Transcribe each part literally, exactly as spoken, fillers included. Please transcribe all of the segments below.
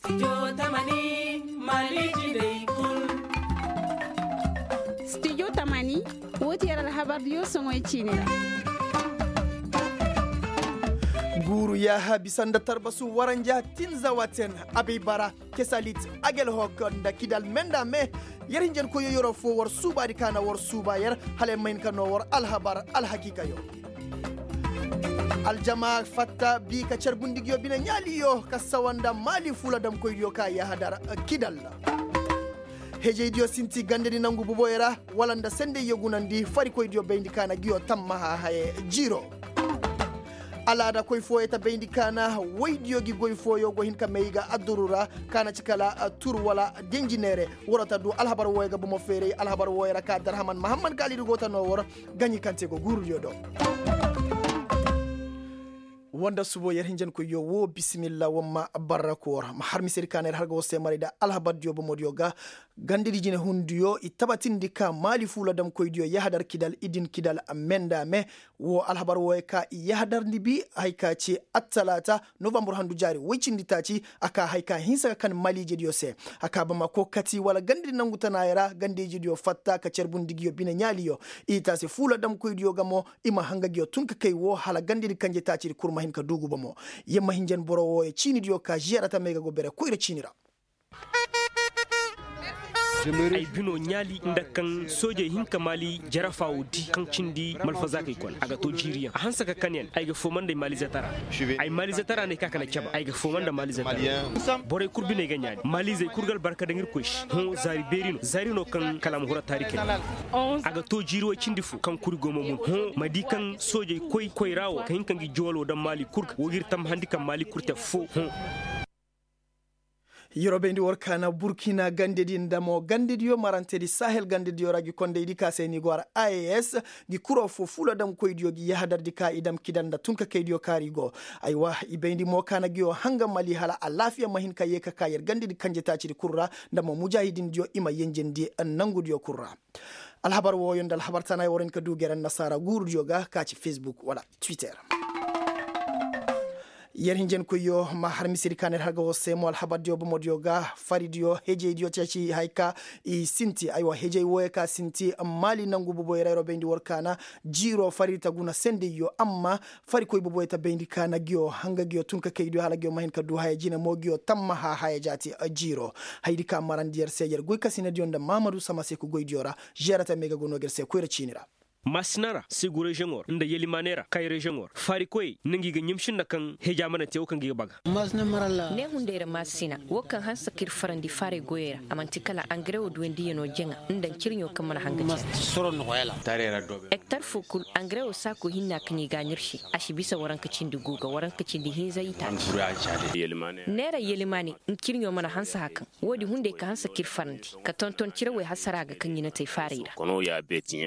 Studio tamani, wo ti yer alhabar diyo soŋoy ciini ra. Guuru yaaha bisa nda tarbasu waranja tinza waten abay bara kesalit, agel hok nda kidal menda me. Yer hinjankoyyo yeroo foo war suubaadi ka na war suuba yer hala yer ma hin ka noo war alhabar alhakiikayo. Aljama fatta bii ka carbundi nguyo bine ɲaaliyo ka sawa nda maali fuula damkoydiyo ka yahadar kidal. Hejeydiyo sinti gandedi nangu buboyo ra wala nda sendeyyo gunandi farikoydiyo bayndi ka na nguyo tammaha haye jiiro. Alaada koy fooyo ta bayndi ka na woydiyo gi goy fooyo go hin ka may ga adduru ra ka na ci kala tur wala denji neere. Woro ta du alhabar wooyo ga bomo feeray alhabar wooyo ra ka darhaman mahamman kaalidi go ta noo wor gaɲi kaŋ te go guurudiyo do. Woo nda subo yer hinjankoyyo woo bisimilla woo ma barra koor ma har misedi ka na yer har ga woo seemaray nda alhabardiyo bomodiyo ga. Gandedi jinehundiyo i tabatindi ka maali fuula damkoydiyo yahadar kidal i din kidal me nda me. Woo alhabar wooyo ka i yahadarndi bi haya ka ci attalaata novambur handu jaari woy cindi taaci. A ka haya ka hinsa ka kan maaliijediyo se. A ka bamako kati wala gandedi nangu tanaayey ra gandediyo fatta ka carbundi nguyo bine ɲaaliyo. I taasi fuula damkoydiyo ga mo i ma hanga nguyo tun ka kay woo hala gandedi kanje taacidi kul ma hin ka duugu bomo. Yer ma hinjan boro wooyo ciinidiyo ka žeera tamey ga go bere koyra ciini ra. Ay binoo ɲaali nda kaŋ soojey hin ka maali jarafa woo di kaŋ cindi malfazaakey kone a ga too jiiriyaŋ a hanse ka kan yaŋ ay ga fooma nda ay maaliize tara. Ay maaliize tara no ay ka ka na cabe ay ga fooma nda maaliize tara. Borey kul biney ga ɲaali maaliizey kul ga albarka daŋ irkoy se hõ zaari beeri no zaari no kaŋ kala a ma huru a taari kay. A ga too jiiri woy cindi fo kaŋ kuri go ma mun hõ ma di kaŋ soojey koy koyra woo ka hin ka ngi jooloo daŋ maali kul ga woo ga ir tammahandi kaŋ maali kul te foo hõ. Yeroo bayndi war kaana burkina gandedi nda mo gandediyo marantedi sahel gandediyo ra gi kondaydi ka se ni go har a e s. Gi kuroo fo fuula damkoydiyo gi yahadardi ka i dam kidal nda tunkakaydiyo kaari go. Aywa i bayndi mo kaana giyo hanga mali hala alaafiya ma hin ka yee ka ka yer gandedi kanje taacidi kul ra nda mo mujaahidindiyo i ma yenjendi nangudiyo kul ra. Alhabar wooyo nda alhabar tanaay war hin ka duu gere annasaara guurudiyo ga ka ci fesbuk wala twitter. Yer hinjankoyyo ma har misedi ka na yer har ga war se mo alhabardiyo bomodiyo ga faridiyo hejeydiyo ceeci haya ka i sinti aywa hejey wooyo ka sinti maali nangu buboyo ra yeroo bayndi war kaana. Jiiroo faridi ta guna sendeyyo amma farikoy boboyo ta bayndi ka na nguyo hanga nguyo tun ka kaydiyo hala nguyo ma hin ka du haya jine mo nguyo tammaha haya jaati. Jiiro hayadi ka marandi yer se yer goykasinadiyo nda mahamadu samaseku goydiyo ra. Žeera tamey ga go no ga yer se koyra ciini ra. Maasina ra segu reziyoŋo ra nda yelimaane ra kay reziyoŋo ra faarikoyey na ngi ga ɲamsi nda kaŋ heja mana te wo kaŋ gi ga baga. Neehunday ra maasina wo kaŋ hanse ka ir farandi faaray goyey ra a man'ti kala angarewo duwandiyanoo jaŋa nda ncirɲo kaŋ mana hanga jaŋa. Ektar foo kul angarewo saako hinna kaŋ i ga a ɲirsi a si bisa waranka cindi gu ga waranka cindi hinza i taati. Neera yelimaane ncirɲo mana hanse hakaŋ. Woodi hunday ka hanse ka ir farandi ka tonton cirawey hasara ga kaŋ i na te faaray ra.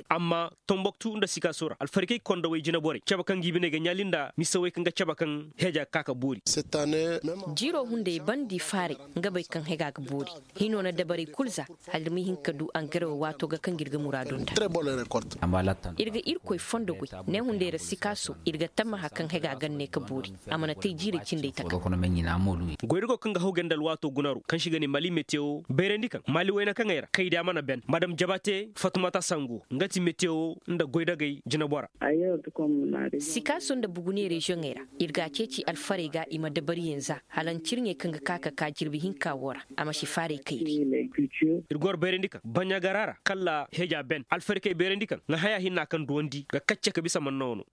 Amma tomboktu nda sikaaso ra alfarikey kondawey jineborey cabe kaŋ ga i biney ga ɲaali nda misawey kaŋ ga cabe kaŋ heja ga ka ka boori. Jiiro hunday bandi faaray nga bay kaŋ hega ga boori. Hino na dabarey kul za hala ir ma hin ka du angarewo waato ga kaŋ ga ir ga muraadu nda. Ir ga irkoy fondo goy ne hunday ra sikaaso ir ga tammaha kaŋ hega ga ne ka boori. A mana te jiirey cindey taka. Goydago kaŋ ga haw ganda alwaato gunaro kaŋ se i ga ne mali metewo bayrandi kaŋ mali wayna kaŋey ra kaydiya mana ben madam jabate fatumata sango nga ti metewo nda goydagey jinabora. Sikaaso nda bugune reziyoŋey ra ir ga a ceeci alfarey ga i ma dabariyaŋ za hala ncirɲey kaŋ ga ka ka ka jirbi hinka wo ra a ma si faaray kayri. Ir go war bayrandi kaŋ baɲagara ra kala heja ben alfarikey bayrandi kaŋ ŋa haya hinna kaŋ duwandi ga kacce ka bisa manna wano.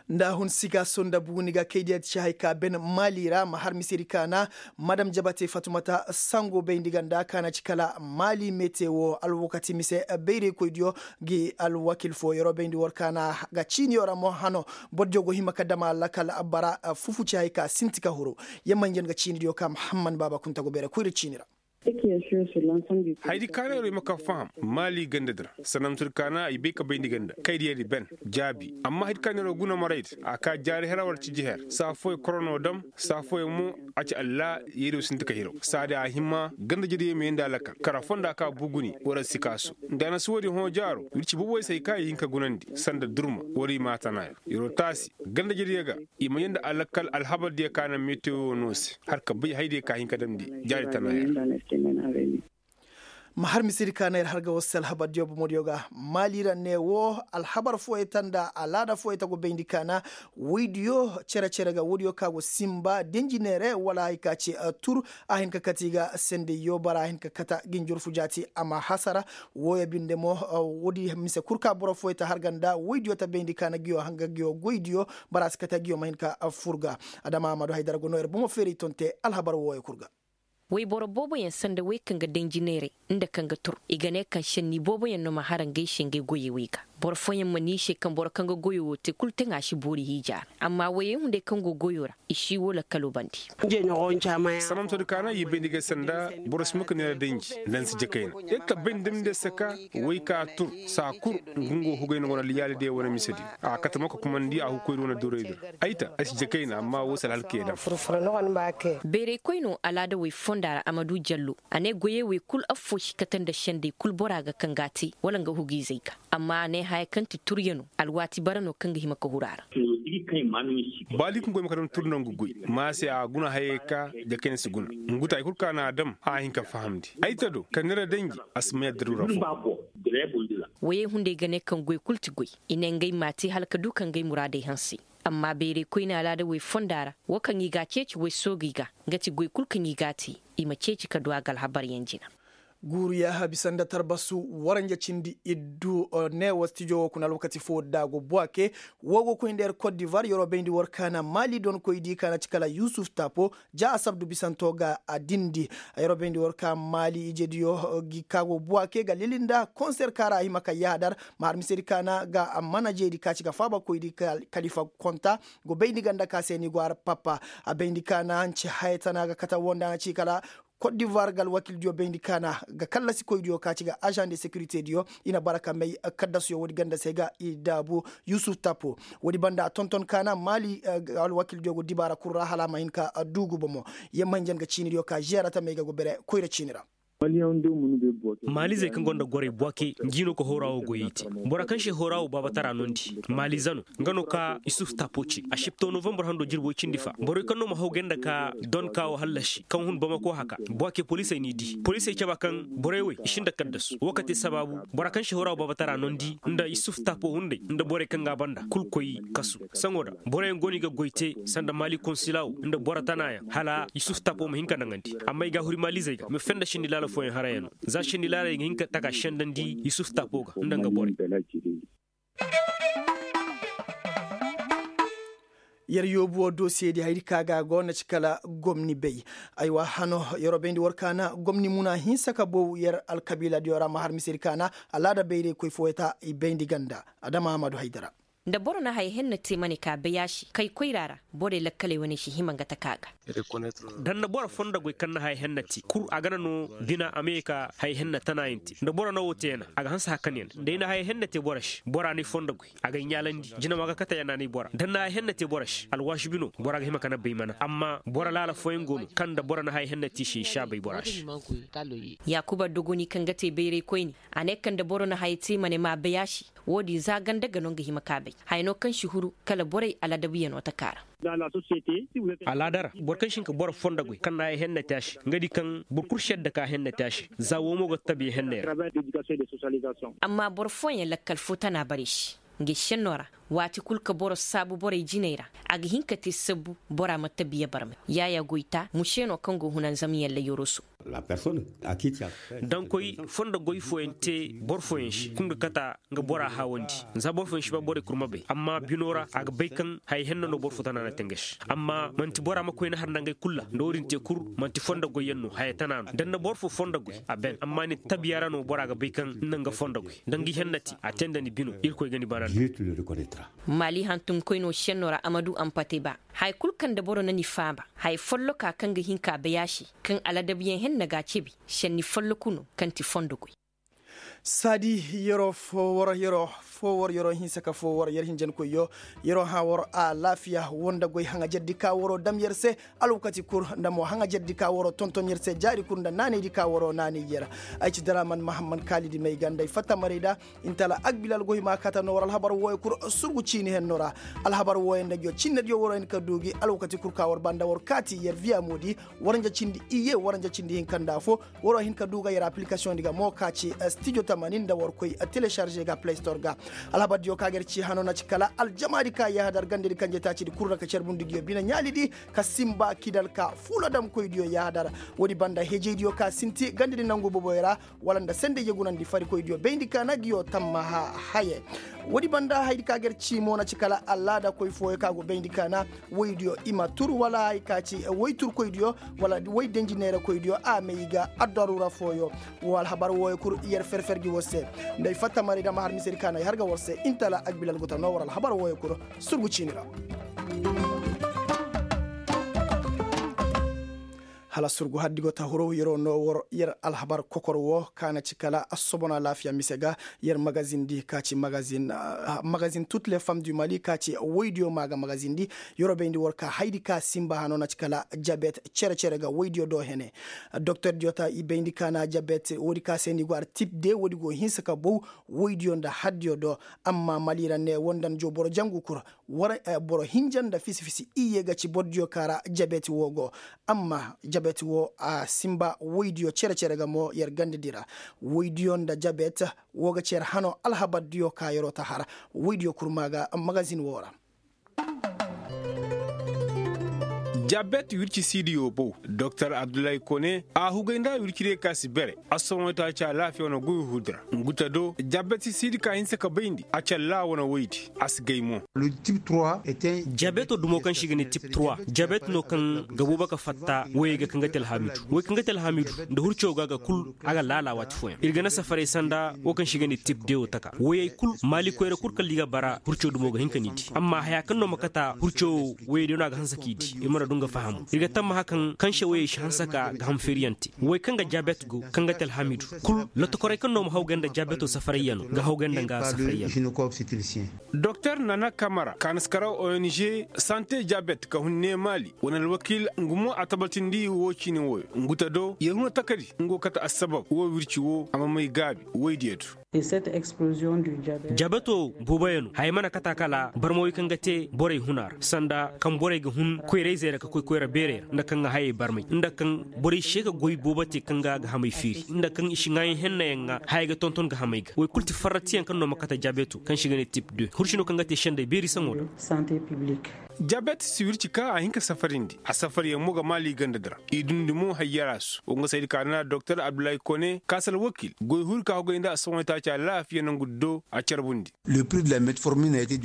Nda a hun sika sonda buguni ga kaydiya ti ci hay ka ben maali ra ma har misedi kaana madam jabate fatumata sango bayndi ganda kaana ci kala maali mete wo alwakati mise bayraykoydiyo gi alwakil fo yeroo bayndi war kaana ga ciiniyo ra mo hano bordiyo go hima ka dama lakal bara fufu ci hay ka sinti ka huru. Yammanjan ga ciinidiyo ka muhamman baaba kunta go bayra koyra ciini ra. Haydi kaana yeroo i ma ka faham maali ganda di ra sanamsir kaana i bay ka bayndi ganda kaydiya di ben jaabi amma haydi kaana yeroo guna maray di a ka jaari her war ciji her saa fooyaŋ korono dam saa fooyaŋ mo a ci allah yeeriyo sinti ka hiraw saadi a hima ganda jediyo ma yeendi a lakal kara fonda ka buguni war a si kaasu nda a na si woodin hõ jaaro wir ci boboy se hay ka i hin ka gunandi sanda durma war i ma a tana yer yeroo taasi ganda jediyo ga i ma yeendi a lakal alhabar diyo ka na metewo no se har ka bay haydiyo ka hin ka damndi jaari tana yer ma har misedi ka na ir har ga war se alhabar diyo bomodiyo ga maali ra ne wo alhabar fooyey ta nda alaada fooyey ta go bayndi ka na woydiyo cere-cere ga woodiyo ka go sinba denji neere wala hay ka ci tur a hin ka kate i ga sendey yoobara a hin ka kata ga i njurfu jaati a ma hasara wooyo binde mo woodi mise kul ka boro fooyey ta har ga nda woydiyo ta bayndi ka na nguyo hanga nguyo goydiyo bara si kate nguyo ma hin ka fur ga adama amadu haydara go no ir bomo feeray ton te alhabar wooyo kul ga wayboro booboyaŋ sanda wey kaŋ ga danji neeray nda kaŋ ga tur i ga ne kaŋ šenni booboyaŋ no ma hara ngey se ngey goyey wey ga boro fooyaŋ ma ne i se kaŋ boro kaŋ ga goyo wo te kulu taŋa si boori hiija ra amma woyey hunday kaŋ go goyo ra i si wo lakkalo bandi sanamtodi kaana i bayndi ga sanda boro si ma ka neera danji nda ni si jakayna yer tabbay nda ni de saka wey ka tur saa kul nga nga wo hugay no wane liyaali diya wane mise diya a kate ma ka kumandi a hukoydi wane duray dira ay ta ay si jakayna amma wo si alhalkey daŋ bayraykoy no alaada wey fonda ra a ma du jallo a ne goyey wey kul affoo si kate nda sendey kul bora ga kaŋ ga a te wala nga hugiizey ga amma a ne haya kaŋ ti turya no alwaati bara no kaŋ ga hima ka huru a ra baali kaŋ goy ma ka daŋ tur nangu goy ma se a guna hayey ka jakayna si guna ngu ta hay kul ka na a daŋ a hin ka fahamndi ay ta do ka neera danji a si may addaru ra fo woyey hunday ga ne kaŋ goy kul ti goy i ne ngey m'a te hala ka du ka ngey muraadey hanse amma bayray koyne alaada wey fonda ra wo kaŋ i ga a ceeci wey soogey ga nga ti goy kul kaŋ i ga a te i ma ceeci ka du a ga alhabaryaŋ jina guuru yaaha bisa nda tarbasu waranja cindi iddu ne wo stijo wo kuna alwakati fo da go buwake wo go koy nda yer kot divar yeroo bayndi war kaana maali donkoy di kaana ci kala yusuf tapo ja a sabdu bisanto ga a dindi yeroo bayndi war ka maali ijediyo gi ka go buwake ga lili nda konser kaŋ ra a hima ka yaadar ma har misedi kaana ga manajedi ka ci ga faabakoydi kalifa konta go bayndi ganda ka se ni go har papa a bayndi kaana nci haya tana ga kata wo nda na ci kala kot divoir ga alwakildiyo bayndi kaana ga kallasikoydiyo ka ci ga ažan de sekirite diyo i na bara ka may kaddasuyo woodi ganda se ga i daabu yusuf tapo woodi banda a tonton kaana maali alwakildiyo go dibaara kul ra hala a ma hin ka duugu bomo yamma hinjan ga ciinidiyo ka žeera tamey ga go bere koyra ciini ra maalizey kaŋ gonda gorey buwake ngi no ga hooraa wo goyey te bora kaŋ se hooraa wo baabatara nondi maaliza no nga no ka yusuf tapo ce a sipto novambar hando jirbo cindi fa borey kaŋ no ma haw gay nda ka don ka wo hallasi kaŋ hun bamako haka buwake poliisey n'i di poliisey caba kaŋ borey wey i si nda kaddasu wo ka te sabaabu bora kaŋ se hooraa wo baabatara nondi nda yusuf tapo hunday nda borey kaŋ ga a banda kul koy kasu saŋo da boroyaŋ go no i ga goy te sanda maali konsila wo nda boro tanayaŋ hala yusuf tapo ma hin ka naŋandi amma i ga a huri maalizey ga ma fenda sendi laala fooyaŋ harayano za sendi laala i ga hin ka taka sendandi yusuf tapo ga nda nga borey yer yoobu wo dosiye di hayri ka ga go na ci kala gomni bay aywa hano yeroo bayndi war kaana gomni muna hinsa ka bow yer alkabiila diyo ra ma har misedi kaana alaada bayray koy fooyata i bayndi ganda adama amadu haydara nda boro na haya henna te ma ne ka bay a se kay koyra ra borey lakkaley wane si hima nga taka ga da ni na boro fonda goy kaŋ na haya henna te kul a gana no bina a ma ye ka haya henna tanayaŋ te nda boro na wo te yana a ga hanse hakan yana da ay na haya henna te boro se bora na ay fonda goy a ga ay ɲaalandi jinama ga kate yana na ay bora da ni na haya henna te boro se alwaasi bino bora ga hima ka na bay mana amma boro laala fooyaŋ go no kaŋ nda boro na haya henna te i se i si a bay bora se yaakuba dogoni kaŋ ga te bayray koyne a ne kaŋ nda boro na haya te ma ne m'a bay a se wo-din za ganda ga no nga hima ka bay haya no kaŋ si huru kala borey aladabuyano taka ra alaada ra boro kaŋ si hin ka boro fonda goy kaŋ na haya henna te a se nga di kaŋ boro kul si yadda ka hennate a se za wo mo ga tabiya henney ra amma boro fooyaŋ lakkal fo tana bare se nga senno ra waati kul ka boro saabu borey jiney ra a ga hin ka te sabbu bora ma tabiya barmay yaaya goyta muse no kaŋ go hunanzam yalla yoroso dankoy fondo goy fooyaŋ te boro fooyaŋ se kaŋ ga kata nga bora haawandi za boro fooyaŋ si ba borey kurma bay amma bino ra a ga bay kaŋ haya henna no boro fo tana na te nga se amma manti bora ma koyna har nda ngey kul ra nda wo-din te kul manti fondo goyyaŋ no haya tana no da ni na boro fo fondo goy a ben amma ni tabiya ra no bora ga bay kaŋ ni na nga fondo goy da nga i hennati a te nda ni bino irkoy ga ni bana nda Maali hantumkoynoo šennoo ra a ma du ampate ba. Haya kul kaŋ nda boro na ni faaba, haya folloka kaŋ ga hin ka bay a se, kaŋ aladabuyaŋ henna ga a cebi, šenni folloku no kaŋ ti fondo goy. Saadi, yeroo foo war yeroo foo war yeroo hinsa ka foo war yer hinjankoyyo. Yeroo hã war alaafiya woo nda goy haŋajerdi ka waroo dam yer se. Alwakati kul nda mo haŋajerdi ka waroo tonton yer se jaari kul nda naanaydi ka waroo naanay yer. Ay ci daraaman mahamman kaalidi may ga nda ay fatta maray da. Intala agbilal goy ma kata no war alhabar wooyo kul. Surgu ciini henno ra. Alhabar wooyo nda ngiyo cinnediyo waroo hin ka du gi alwakati kul ka war banda war kaati yer viya moodi. Waranja cindi iye waranja cindi hinka nda afo. Waroo hin ka du ga yer aplikasiyoŋdi ga mo ka ci studio tamanin nda war koy telesarze ga play store ga. Alhabardiyo ka ga yer ci hano na ci kala aljamaadi ka yahadar gandedi kanjetaacidi kul ra ka carbundi ngiyo bine ɲaalidi ka simba kidal ka fuula damkoydiyo yahadar. Woodi banda hejeydiyo ka sinti gandedi nangu boboyo ra. Wala nda sendey yegunandi farikoydiyo bayndi ka na ngiyo tammaha haye. Woodi banda hayadi ka ga yer ci mo na ci kala alaada koy fooyo ka go bayndi ka na woydiyo i ma tur wala hay ka ci woy turkoydiyo wala woy denji neerakoydiyo a may ga addaruura fooyo. Wo alhabar wooyo kul yer ferfer gi war se. Nda ay fatta maray da ma har misedi ka na ay har ga war se intala agbilal go ta no war alhabar wooyo kul. Surgu ciini ra. Hala surgu haddi go ta huro yeroo no war yer alhabar kokor woo ka na ci kala assobon alaafiya mise ga. Yer magazindi ka ci magazin toutes les femmes du mali ka ci woydiyo ma ga magazindi. Yeroo bayndi war ka haydi ka simba hano na ci kala jabet cere-cere ga woydiyo do hene. Doktordiyo ta i bayndi ka na jabet woodi ka se ni go ar tip de woodi go hinsa ka bow woydiyo nda haddiyo do. Amma mali ra ne woo nda ni joo boro jangu kul. War boro hinja nda fisi-fisi iyye ga ci bordiyo ka ra jabet woo go. Amma jabet woo a simba woydiyo cere-cere ga mo yer gandedi ra. Woydiyo nda jabet woo ga ci yer hano alhabardiyo ka yeroo ta har. Woydiyo kurma ga magazin woo ra. Jabet wirci siidiyo bow doktor abdullahi kone a hugay nda wircidiyo ka si bere. Assohõ taaci alaafiya wane guy huudi ra. Ngu ta do jabet siidi ka hinsa ka bayndi a callaa wane woydi. A si gay mo. Jabeto dumo kaŋ se i ga ne tip trois jabeto no kaŋ ga boobo ka fatta woyey ga kaŋ ga te alhaamidu woy kaŋ ga te alhaamidu nda hurcaw ga ga kul. A ga laala waati fooyaŋ ir ga na safaray sanda wo kaŋ se i ga ne tip de wo taka woyey kul maali koyra kul kala i ga bara hurcaw dumo ga hin ka ni di amma haya kaŋ no ma kata hurcaw woyey day no a ga hanse k'i di. Ir mana du nga fahamu ir ga tammaha kaŋ kaŋ se woyey si hanse ka ga ham feeriyaŋ te woy kaŋ ga jabet go kaŋ ga te alhaamidu kul lotokoray kaŋ no ma hawgay nda jabeto safarayyaŋo ga hawgay nda nga safarayyaŋo. Doktor nana kamara kaanaskaraw ong sante jabet ka hun ne maali wane alwakiil nga mo a tabatindi wo ciini wooyo ngu ta do yer huna takari nga go kate assabab wo wirci wo a ma may gaabi woydiyo do. Jabeto booboyaŋo haya mana kata kala barmawey kaŋ ga te borey huna ra sanda kaŋ borey ga hun koyra-izey ra ka koy koyra beerey ra nda kaŋ ga hayey barmay nda kaŋ borey se ka goy boobo te kaŋ ga a ga hamay feeri nda kaŋ i si ŋaayaŋ hennayaŋ ŋaa hayey ga tonton ga hamay ga woy kul ti farratiyaŋ kaŋ no ma kate jabeto kaŋ se i ga ne tip de hursi no kaŋ ga te sendey beeri saŋo ra. Jabet si wirci ka a hin ka safarindi a safaryaŋ mo ga maali ganda di ra. I dundi mo hayyaraasu wo nga saydi ka na doktor abdullahi kone kaasal wakiil goy huri ka hogay nda a sohõ taaci alaafiya nangu do a carbundi.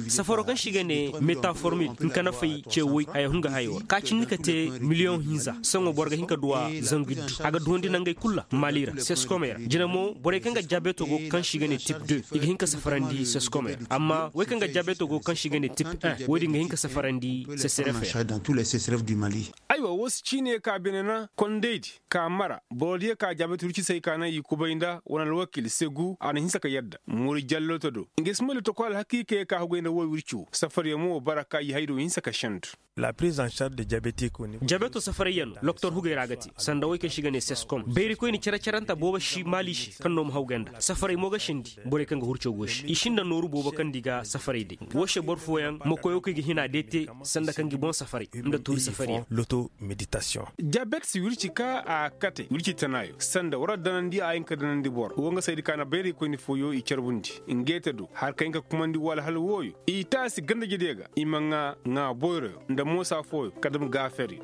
Safaro kaŋ se i ga ne metaformil nka nafay ce woy haya hun ga hayo ra ka cindi ka te miliyoŋ hinza saŋo boro ga hin ka duw'a zangu iddu a ga duwandi nangey kul ra maali ra seskomey ra jina mo borey kaŋ ga jaabeeto go kaŋ se i ga ne tip de i ga hin ka safarandi seskomey ra amma wey kaŋ ga jaabeeto go kaŋ se i ga ne tip un wo- din ga hin ka safarandi sesref ra. Aywa wo si ciine ka bine na kondaydi ka mara borodiyo ka jaabeeto wirci se ay ka naŋ i kubay nda wane alwakiil segu a na hinsa ka yadda moori jallooto do nga si may lotoko alhakiikayey ka hugay nda wo wirci wo safariyo mo bara ka i haydo hinsa ka sendu. Jaabeeto safarayyaŋo loktor hugay ra ga te sanda wey kaŋ se i ga ne seskom bayrikoyni care-caranta boobo si maali se kaŋ no ma hawgay nda safaray mo ga sendi borey kaŋ ga hurco go se i sinda nooru boobo kaŋ nda i ga safaray day wo se boro fooyaŋ ma koy wo kaŋ i ga hina day te sanda kaŋ ga i boŋ safaray nda tuuri safaryaŋ. Jaabet si wirci ka a kate wirci tanaayo sanda war danandi a hin ka danandi boro wo nga saydi ka na bayraykoyni fooyo i carbundi. Ngey te do har kaŋ hin ka kumandi wala hala wooyo i taasi gandajediyo ga i ma ŋaa ŋaa boyroyo nda moosa fooyo ka dam gaaferiyo.